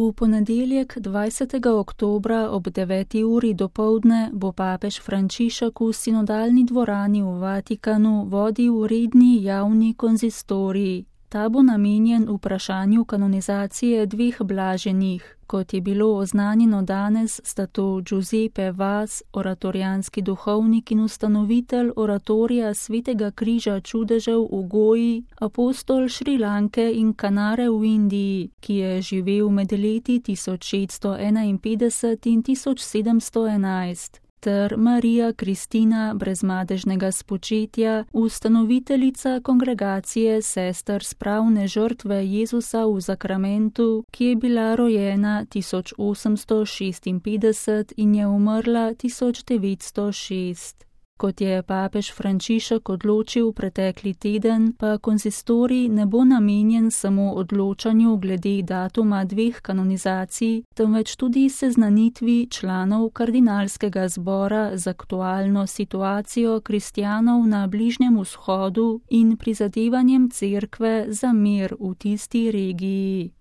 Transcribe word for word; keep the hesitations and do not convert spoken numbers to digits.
V ponedeljek dvajsetega oktobra ob deveti uri dopoldne bo papež Frančišek v sinodalni dvorani v Vatikanu vodil redni javni konzistorij. Ta bo namenjen vprašanju kanonizacije dveh blaženih. Kot je bilo oznanjeno danes, sta to Giuseppe Vaz, oratorijanski duhovnik in ustanovitelj oratorija Svetega križa čudežev v Goji, apostol Šrilanke in Kanare v Indiji, ki je živel med leti tisoč šeststo enainpetdeset in tisoč sedemsto enajst. Ter Marija Kristina brezmadežnega spočetja, ustanoviteljica kongregacije sester spravne žrtve Jezusa v Zakramentu, ki je bila rojena tisoč osemsto šestinpetdeset in je umrla tisoč devetsto šest. Kot je papež Frančišek odločil pretekli teden, pa konzistorij ne bo namenjen samo odločanju glede datuma dveh kanonizacij, temveč tudi seznanitvi članov kardinalskega zbora z aktualno situacijo kristjanov na Bližnjem vzhodu in prizadevanjem cerkve za mir v tisti regiji.